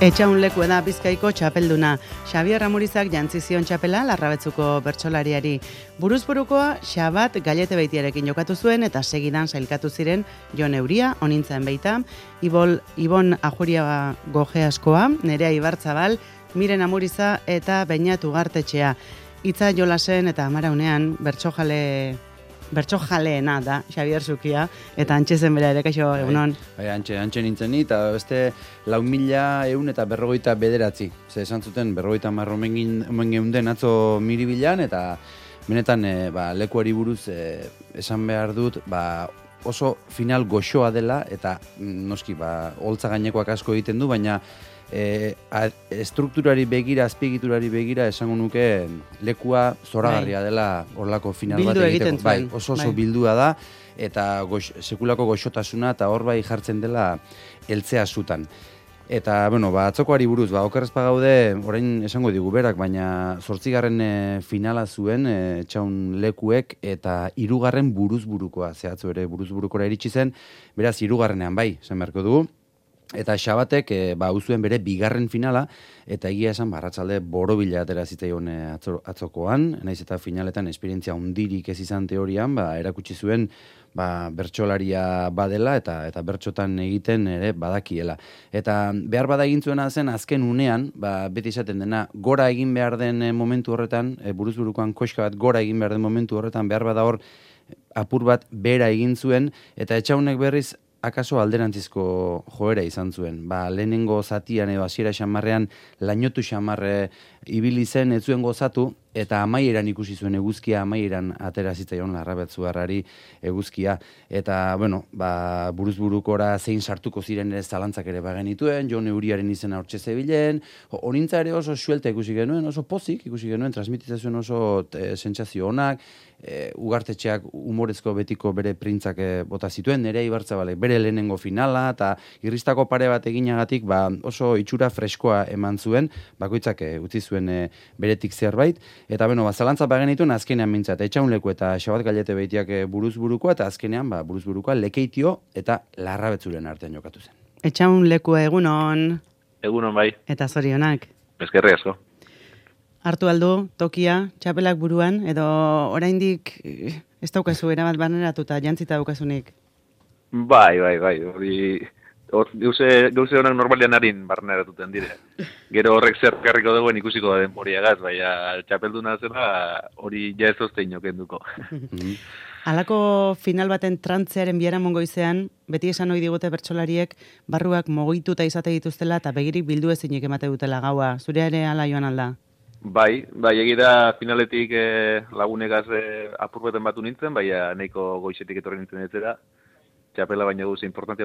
Etxaun leku da Bizkaiko txapelduna. Xabier Amurizak jantzi zion txapela Larrabetzuko bertsolariari. Buruzburukoa Xabat Gallete Beitiarekin jokatu zuen eta segidan sailkatu ziren Jon Euria, onintzen beita, Ibon Ajuria Gojeaskoa, Nerea Ibarzabal, Miren Amuriza eta Beñat Ugartetxea. Itza Jolasen eta Amaraunean bertsojaleena da, Xabier Zukia, eta antxe zen bera ere, kaixo, egunon. Bai, antxe nintzen ni, eta beste 4.100 eta 59. Ze esan zuten, 50 omen geunden atzo Miribilan, eta benetan lekuari buruz esan behar dut, oso final goxoa dela, eta noski, holtza gainekoak asko egiten du, baina estrukturari begira, azpiegiturari begira, esango nuke lekua zoragarria dela horlako final bat egiteko. Bai, oso bildua da, eta sekulako goxotasuna, eta hor bai jartzen dela heltzea zutan. Eta, atzokoari buruz, okerrezpa gaude, orain esango digu berak, baina 8. Finala zuen Etxaun lekuek, eta 3. buruzburukoa, zehatzu ere buruzburukora iritsi zen, beraz 3. bai, esan beharko dugu. Eta Xabatek uzuen bere 2. finala, eta egia esan arratsalde borobila atera zitzaion atzokoan, naiz eta finaletan esperientzia hundirik ez izan teorian, erakutsi zuen bertsolaria badela eta bertsotan egiten ere badakiela. Eta behar bada egin zuena zen azken unean, beti esaten dena, gora egin behar den momentu horretan, buruzburukoan koxka bat gora egin behar den momentu horretan, behar bada hor apur bat bera egin zuen, eta Etxaunek berriz akaso alderantzizko joera izan zuen. Lehenengo zatian edo hasiera xamarrean lainotu xamarre ibili zen, ez zuen gozatu, eta amaieran ikusi zuen eguzkia, amaieran atera zitzaion Larrabetzuarrari eguzkia. Eta, buruzburukora zein sartuko ziren ere zalantzak ere bagenituen, Jon Euriaren izena hortxe zebilen, honintza ere oso suelta ikusi genuen, oso pozik ikusi genuen, transmititzen zuen oso sentsazio onak, Ugartetxeak humorezko betiko bere printzak bota zituen, Nerea Ibartzabalek bere lehenengo finala, eta irristako pare bat eginagatik oso itxura freskoa eman zuen, bakoitzak utzi zuen beretik zerbait, eta zalantza bagenituen azkenean mintzat, Etxaun leku eta Xabat Gallete Beitiak buruzburukoa, eta azkenean buruzburukoa Lekeitio eta Larrabetzuren artean jokatu zen. Etxaun lekua egunon. Egunon bai. Eta zorionak. Eskerrik asko. Hartu aldu, tokia, txapelak buruan, edo oraindik ez daukazu erabat baneratuta, jantzita daukazunik? Bai. Gauze honak normalian harin barneratuten dire. Gero horrek zer karriko dagoen ikusiko da denboriagaz, baina txapelduna zela hori ja ez oztein jokenduko. Halako final baten trantzearen biharamun goizean, beti esan ohi digute bertsolariek barruak mogituta izate dituztela eta begirik bildu ezinik emate dutela gaua. Zure ere hala joan alda? Bai, egira finaletik lagunegaz apurbeten batu nintzen, baina nahiko goizetik etorri nintzen etzera. Txapela baina duze importantia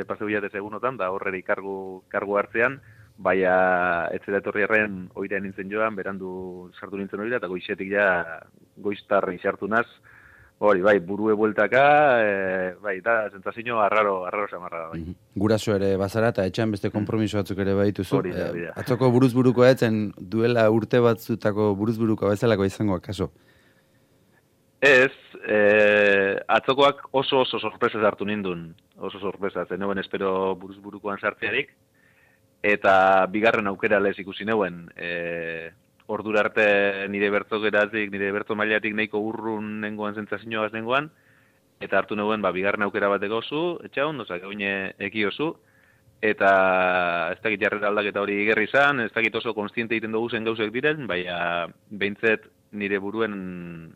paseu jatez egunotan, da horreri kargu hartzean, baina etzera etorri erren oira nintzen joan, berandu sartu nintzen oira, eta goizetik ja goiztarri sartu naz. Hori, burue bueltaka, da, sentsazio arraro samarra bai. Guraso ere bazara eta etxean beste konpromiso batzuk ere badituzu. Hori da. Atzoko buruzburukoa etzen duela urte batzutako buruzburukoa bezalako izango akaso? Ez, atzokoak oso sorpresaz hartu nindun. Oso sorpresaz, neuen espero buruzburukoan sartzearik. Eta 2. aukera lez ikusi neuen. Ordura arte nire bertzo mailatik nahiko urrun nengoan sentsazioaz nengoan, eta hartu neuen 2. aukera bateko oso, Etxaun, oine eki oso, eta ez dakit jarrera aldaketa hori igerri izan, ez dakit oso konstiente egiten dugu zen gauzek diren, baina behintzet nire buruen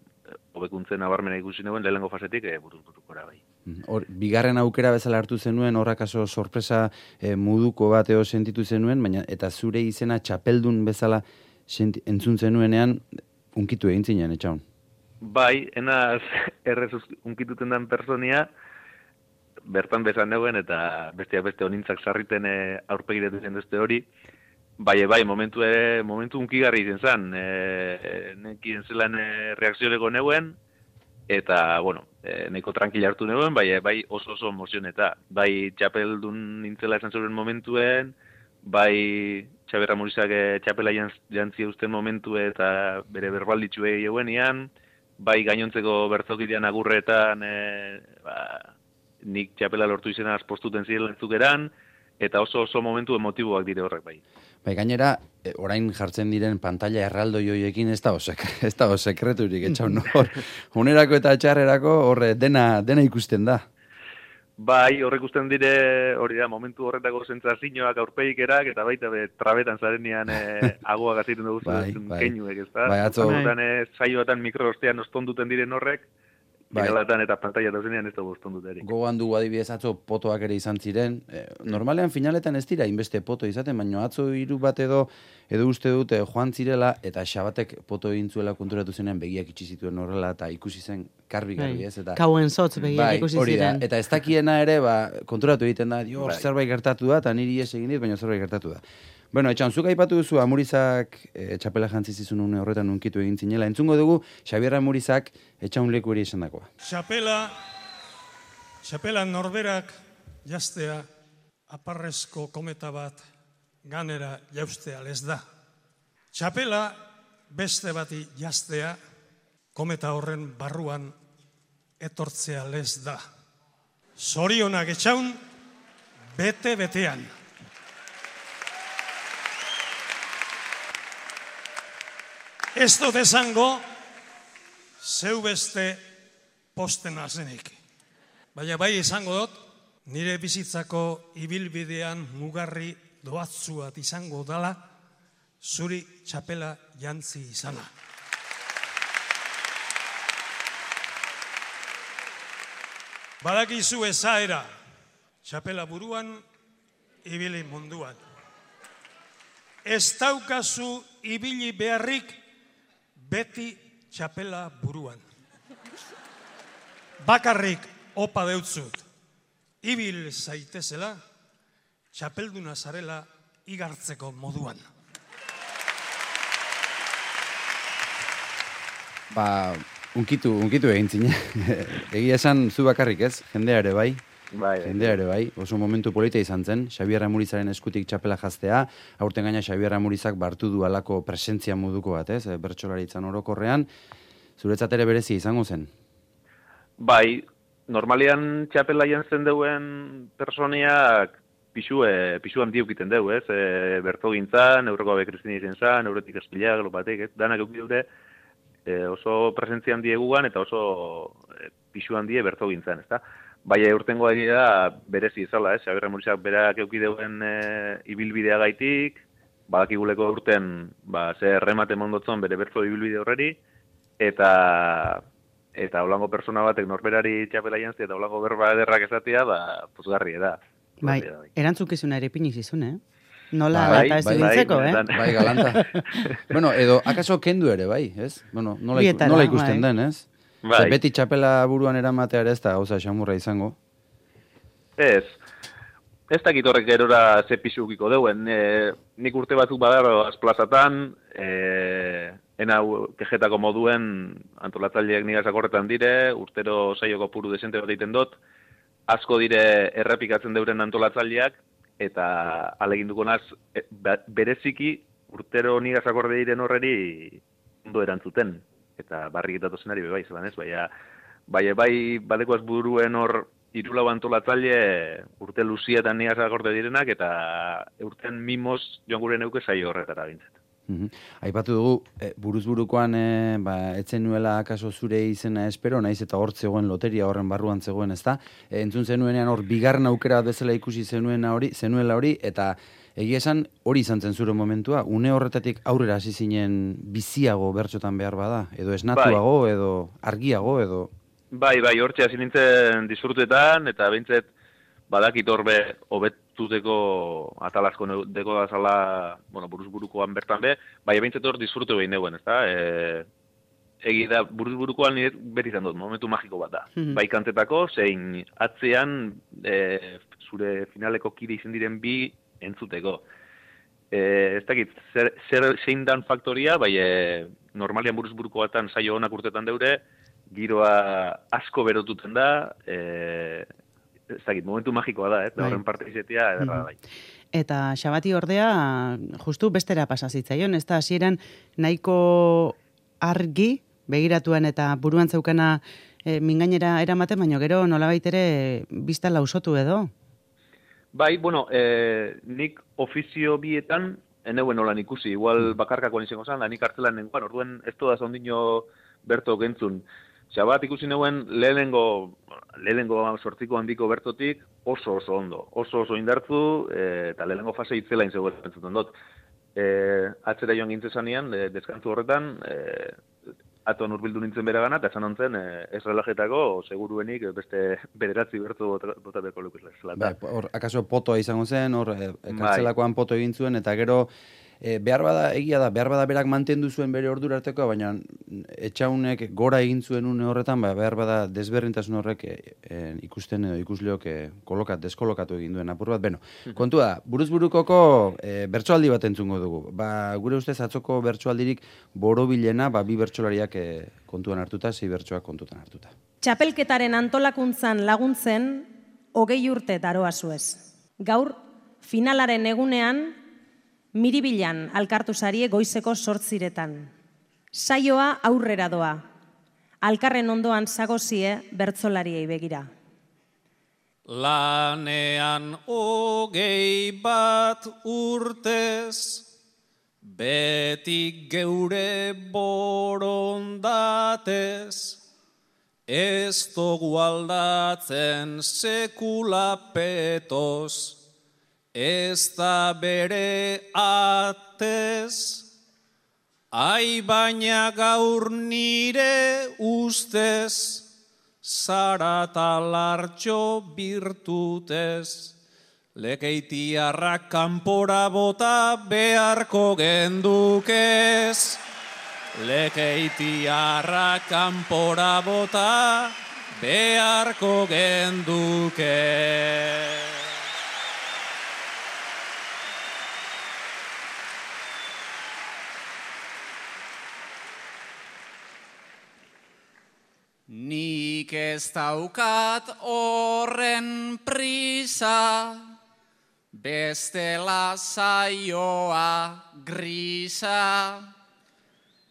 hobekuntzen nabarmena ikusi neuen lehenengo fasetik buruzburukora bai. 2. aukera bezala hartu zenuen, horrakaso sorpresa muduko bateo sentitu zenuen, baina eta zure izena txapeldun bezala entzun zenuenean, unkitu egin zinen, Etxaun? Bai, enaz errez unkituten den personia, bertan bezan neuen, eta beste honintzak sarriten aurpegiretu zen duzte hori. Bai, momentu unkigarri izen zen, nekien zelan reakzioleko neuen, eta, nahiko tranquila hartu neuen, bai oso emozioneta. Bai, txapeldun nintzela esan zuen momentuen, bai, Xabier Amurizak txapela jantzi eusten momentu eta bere berbalditxue eguenian, bai gainontzeko bertzokidean agurretan nik txapela lortu izena azpostuten ziren lentzukeran, eta oso momentu emotiboak dire horrek bai. Bai, gainera, orain jartzen diren pantalla erraldoi hoiekin ez da sekreturik, etxaun hor. Unerako eta txarrerako horre dena ikusten da. Bai, horrek ikusten dire, hori da, momentu horretako sentsazioak aurpegikerak, eta baita trabetan zarenean agoa gaziren dugu keinuek, ez da? Bai, atzo. Saioetan mikrostean ostonduten diren horrek, finalatan eta pantalla dauzenean ez da ostonduteri. Gogoan dugu adibidez atzo potoak ere izan ziren. Normalean finaletan ez dira inbeste poto izaten, baina atzo 3 bat edo uste dute joan zirela, eta Xabatek poto egin zuela konturatu zenean begiak itxi zituen horrela, eta ikusi zen garbi, ez? Kauen zotz begiak ikusi ziren. Eta ez dakiena ere, konturatu egiten da, zerbait gertatu da, eta niri egin dit, baina zerbait gertatu da. Bueno, etxan, zuk aipatu duzu Amurizak txapela jantzi zizun une horretan unkitu egin zinela. Entzungo dugu, Xabier Amurizak etxan leku eri esan dakoa. Txapela norberak jaztea aparrezko kometa bat ganera jaustea lez da. Txapela beste bati jaztea kometa horren barruan etortzea lez da. Zorionak etxaun bete-betean. Ez dut esango, zeu beste postena zenik. Baina bai izango dut, nire bizitzako ibilbidean mugarri doatzuat izango dala, zuri txapela jantzi izana. Badakizu ezaera, txapela buruan, ibili munduan. Ez daukazu ibili beharrik, beti txapela buruan. Bakarrik opa deutzut, ibil zaitezela, txapelduna zarela igartzeko moduan. Unkitu egin zine. Egia esan zu bakarrik ez, jendea ere bai. Jendea ere bai, oso momentu polita izan zen, Xabier Amurizaren eskutik txapela jaztea, aurten gaina Xabier Amurizak bartu du alako presentzia moduko bat, ez, bertsolaritzan orokorrean, zuretzat ere berezi izango zen? Bai, normalian txapela jantzen deuen personiak pixu handiukiten deu, ez, berto gintzan, euroko abe Kristina izen zan, euretik eskila, glopatek, ez, danak eukit dute, oso presentzia handiegugan eta oso pixu handie berto gintzan, ez da? Baina urtengo da berezi izala, Xabier Amurizak berak eukideuen ibilbidea gaitik, badakiguleko urten ze erremate mondotzon bere bertzo ibilbide horreri, eta holango persona batek norberari txapela jantzia eta holango berba ederrak esatia, pozgarri da. Bai, erantzukizuna ere piniz izun, Nola eta ez dintzeko, Bai, galanta. Bueno, edo, akaso kendu ere, bai, ez? Bueno, nola ikusten den, ez? Bai. Beti txapela buruan eramatea ere ez da gauza xamurra izango? Ez dakit horrek gerora ze pixukiko deuen. Nik urte batzuk badaro azplazatan, kejetako moduen antolatzaileak nigazak horretan dire, urtero saioko puru desente bat egiten dut, asko dire errepikatzen deuren antolatzaileak, eta aleginduko naz, bereziki urtero nigazak horre diren horreri ondo erantzuten. Eta barriketatu zenari bebai zelan ez, bai badekoaz buruen hor irulau antolatzaile urte luzietan nigazak orde direnak, eta urten mimoz joan gure neuke saio horretara bintzat. Aipatu dugu, buruz-burukoan etzen nuela akaso zure izena espero, naiz eta hor zegoen loteria horren barruan zegoen, ez da? Entzun zenuenean hor bigarren aukera bezala ikusi zenuela hori, eta egia esan hori izan zen zure momentua, une horretatik aurrera hasi zinen biziago bertxotan behar bada, edo esnatuago, edo argiago, edo... Bai, hortxe hasi nintzen disfrutetan, eta behintzet badakit horbe hobetuteko atalazko deko da zala, buruz-burukoan bertan be, bai behintzet hor disfrute behin neuen, ez da? Egi da, buruz-burukoan nire beti izan dut, momentu magiko bat da. Bai kantetako, zein atzean zure finaleko kide izan diren bi entzuteko. Ez dakit, zein dan faktoria, bai normalian buruz-buruko batan saio honak urtetan deure, giroa asko berotuten da, ez dakit, momentu magikoa da, eta horren parte izetia ederra bai. Eta Xabati ordea, justu bestera pasazitzaion, ez da hasieran nahiko argi, begiratuan eta buruan zeukana mingainera eramaten, baina gero nolabait ere bizta lausotu edo? Bai, bueno, nik ofizio bietan, eneuen holan ikusi, igual bakarkakoan izango zan, da nik hartzelan nengoan, orduen ez toda ondino berto gentzun. Xabat ikusi neuen lehenengo sortziko handiko bertotik oso ondo, oso indartzu, eta lehenengo fase itzela inzegoen pentsuten dut. Atzera joan gintzezanean, deskantzu horretan, aton urbildu nintzen bera gana, eta esan ontzen, ez relajetako, seguruenik beste bederatzi bertu botateko lukizla. Hor, akaso potoa izango zen, hor, kartzelakoan poto egin zuen, eta gero, behar bada berak mantendu zuen bere ordura arteko, baina etxaunek gora egin zuen une horretan, behar bada desberdintasun horrek ikusten edo ikusleok deskolokatu egin duen apur bat. Beno, kontua, buruzburukoko bertsoaldi bat entzungo dugu. Gure ustez atzoko bertsoaldirik borobilena, bi bertsolariak kontuan hartuta, 6 bertsoak kontutan hartuta. Txapelketaren antolakuntzan laguntzen, 20 urte daroa zuez. Gaur, finalaren egunean, Miribilan alkartu zarie goizeko 8:00. Saioa aurrera doa. Alkarren ondoan zagozie bertsolariei begira. Lanean 21 urtez, beti geure borondatez, ez dugu aldatzen sekula petoz, ez da bere atez, ai baina gaur nire ustez, zara talartxo birtutez, lekeitiarrak kanpora bota beharko gendukez. Lekeitiarrak kanpora bota beharko gendukez. Nik ez daukat horren prisa, bestela saioa grisa,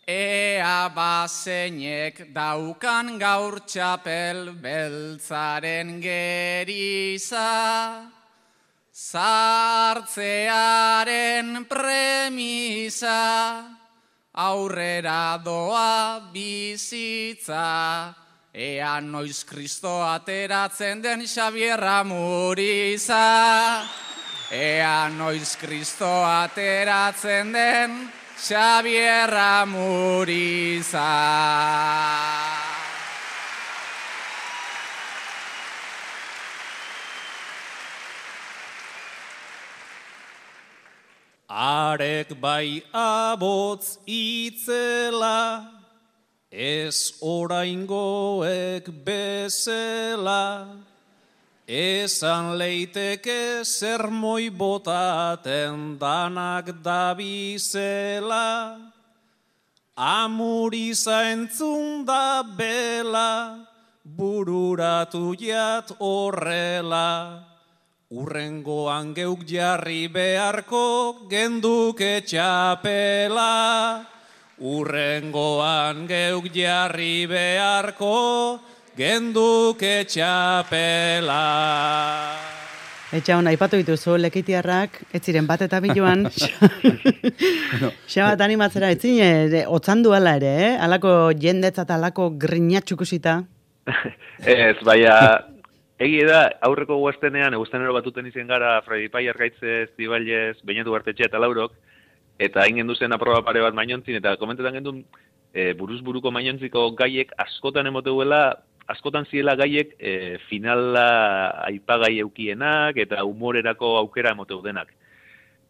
ea bazeinek daukan gaur txapel beltzaren geriza, sartzearen premisa, aurrera doa bizitza, ea noiz Kristo ateratzen den Xabier Amuriza. Ea noiz Kristo ateratzen den Xabier Amuriza. Arek bai abotz itzela, ez oraingoek bezela, esan leiteke zermoi botaten danak dabizela, Amuriza entzun da bela, bururatu jat horrela, urrengoan geuk jarri beharko genduke txapela. Urrengoan geuk jarri beharko genduke txapela. Etxaun, aipatu dituzu lekeitiarrak, ez ziren bat eta biloan. Xabat animatzera, ez zine, otzandu ala ere, alako jendetzat, alako grinatxukusita. Ez, baina... Egi da, aurreko guaztenean, eguztenero batuten izen gara Fredi Pai Argaitzez, Zibailez, Beñatu Bartetxe eta Laurok, eta hain gendu zen aproba pare bat mainontzin, eta komentetan gendun buruz-buruko mainontziko gaiek askotan emoteuela, askotan ziela gaiek finala aipagai eukienak, eta humorerako aukera emoteu denak.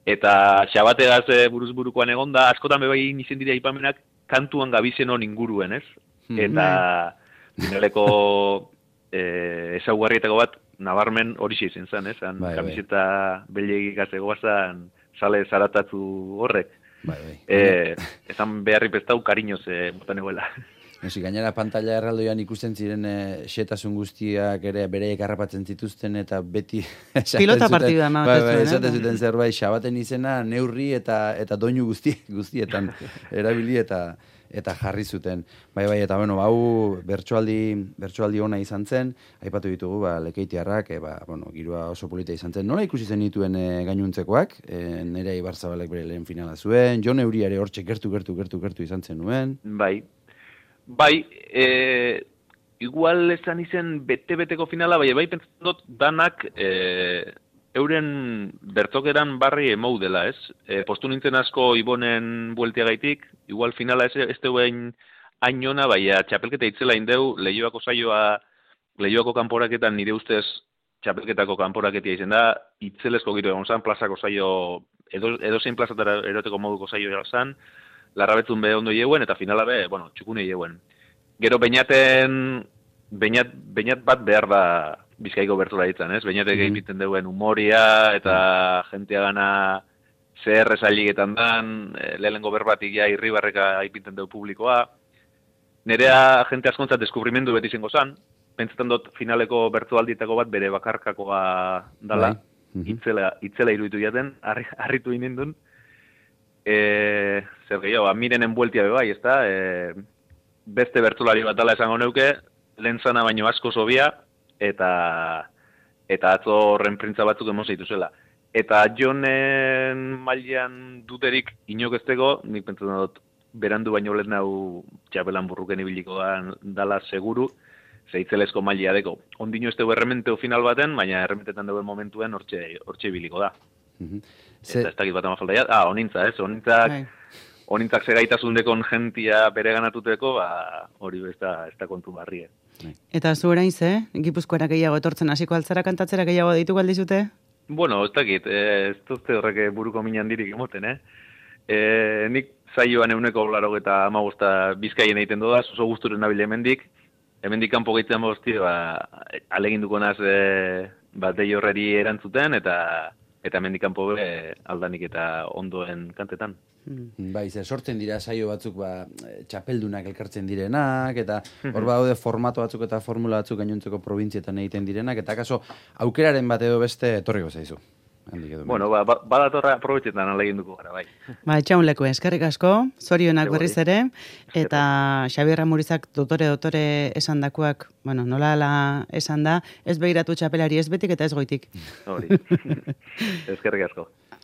Eta xabategaz buruz-burukoan egonda, askotan bebai izen dira aipamenak kantuan gabizen hon inguruen, ez? Eta finaleko... ezaugarrietako bat, nabarmen hori izen zen, ez? Kamiseta belegik azegoa zen, sale zaratatu horrek. Ezan beharri pestau kariñoz botan egoela. Gainera pantalla erraldoian ikusten ziren xetasun guztiak ere bereiek harrapatzen zituzten eta beti... Pilota partida esaten zuten zerbait, Xabaten izena neurri eta doinu guztietan erabili eta eta jarri zuten. Bai, eta bueno, hau bertsoaldi ona izan zen, aipatu ditugu, Lekeitiarrak, giroa oso polita izan zen. Nola ikusi zen dituen gainuntzekoak, Nerea Ibarzabalek bere lehen finala zuen, Jon Euriare hortxe gertu izan zen nuen. Bai, igual esan izen bete-beteko finala, bai pentsatzen dut danak euren bertokeran barri emou dela, ez? Postu nintzen asko Ibonen bueltiagaitik, igual finala ez deuen ainona, baina txapelketa itzela indeu, Leioako kanporaketan nire ustez txapelketako kanporaketia izen da, itzelesko giro egon zan, plazako zaio, edo zein plazatara eroteko moduko zaio zan, Larrabetzun be ondo jeuen, eta finala be, txukune jeuen. Gero Beñat bat behar da Bizkaiko bertsola ditzen, ez? Beñatek egiten duen humoria eta jentea gana zer esailiketan dan, lehenengo berbatik ja irribarreka aipinten deu publikoa. Nerea jente askontzat deskubrimendu beti zengo zan, pentsatzen dut finaleko bertsoaldietako bat bere bakarkakoa dala, itzela iruditu jaten, harritu inindun. Zer gehiago, Mirenen bueltia bebai, ez da? Beste bertsolari bat dala esango neuke, lehen zana baino asko zobia, eta atzo horren printza batzuk emon zeitu zela. Eta Jonen mailean duterik inok ezteko, nik pentsatzen dut berandu baino lehen hau txapelan burruken ibiliko dala seguru, zeitzelesko mailea deko. Ondino ez dugu errementeu final baten, baina errementetan dugu momentuen hortxe ibiliko da. Eta ez dakit bat ama falta ja. Onintza, ez? Onintzak zegaitasun dekon jentia bere ganatuteko, hori ez da kontu barrie. Eta zu orain Gipuzkoara gehiago etortzen hasiko altzara kantatzera gehiago deitu galdizute? Ez dakit, ez duzte horrek buruko minan dirik emoten, nik zaioan 185 Bizkaien egiten doda, oso guzturen nabile hemendik kanpo gehitzen bozti, aleginduko naz dei horreri erantzuten, eta hemendik kanpo aldanik eta ondoen kantetan. Bai, sortzen dira saio batzuk txapeldunak elkartzen direnak, eta hor badaude formato batzuk eta formula batzuk gainontzeko probintzietan egiten direnak, eta kaso aukeraren bat edo beste etorriko zaizu. Badatorra aprobetxetan aleginduko gara, bai. Etxaun leku, eskerrik asko, zorionak berriz ere, eta Xabier Ramurizak dotore esan dakuak, nola esan da, ez behiratu txapelari ez betik eta ez goitik. Hori, eskerrik asko.